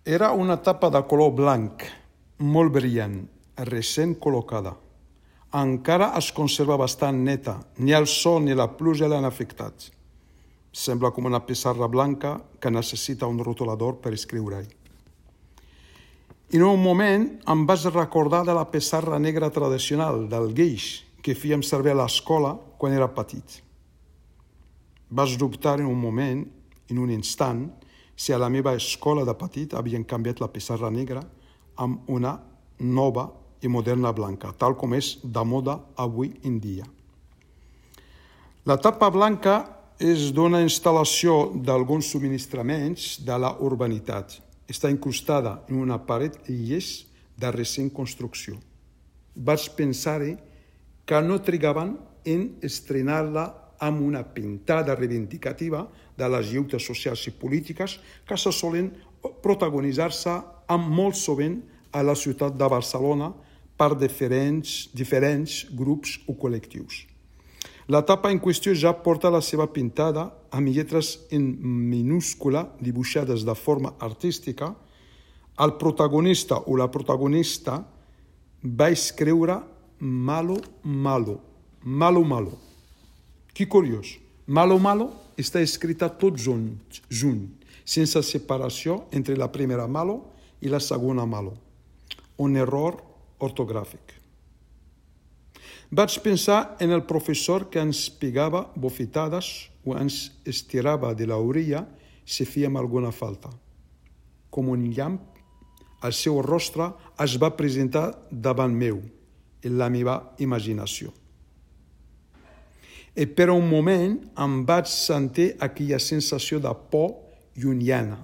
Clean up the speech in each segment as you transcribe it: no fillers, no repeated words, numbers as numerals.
Era una tapa de color blanc, molt brillant, recent col·locada. Encara es conserva bastant neta, ni el sol ni la pluja l'han afectat. Sembla com una pissarra blanca que necessita un rotulador per escriure-hi. En un moment em vaig recordar de la pissarra negra tradicional, del guix, que fèiem servir a l'escola quan era petit. Vaig dubtar en un moment, en un instant, si a la meva escola de petit havien canviat la pissarra negra amb una nova i moderna blanca, tal com és de moda avui en dia. La tapa blanca és d'una instal·lació d'alguns subministraments de la urbanitat. Està incrustada en una paret llis de recent construcció. Vaig pensar que no trigaven en estrenar-la amb una pintada reivindicativa de les lluites socials i polítiques que se solen protagonitzar-se amb molt sovint a la ciutat de Barcelona per diferents grups o col·lectius. La tapa en qüestió ja porta la seva pintada amb lletres en minúscula dibuixades de forma artística. El protagonista o la protagonista va escriure malo, malo, malo, malo. Que curiós. Malo, malo està escrita tot junt, sense separació entre la primera malo i la segona malo. Un error ortogràfic. Vaig pensar en el professor que ens pegava bofetades o ens estirava de l'orella si fèiem alguna falta. Com un llamp, el seu rostre es va presentar davant meu, en la meva imaginació. I per un moment em vaig sentir aquella sensació de por llunyana.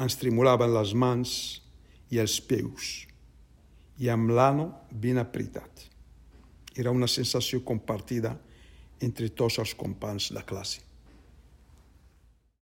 Ens tremolaven les mans i els peus, i amb l'ano ben apretat. Era una sensació compartida entre tots els companys de classe.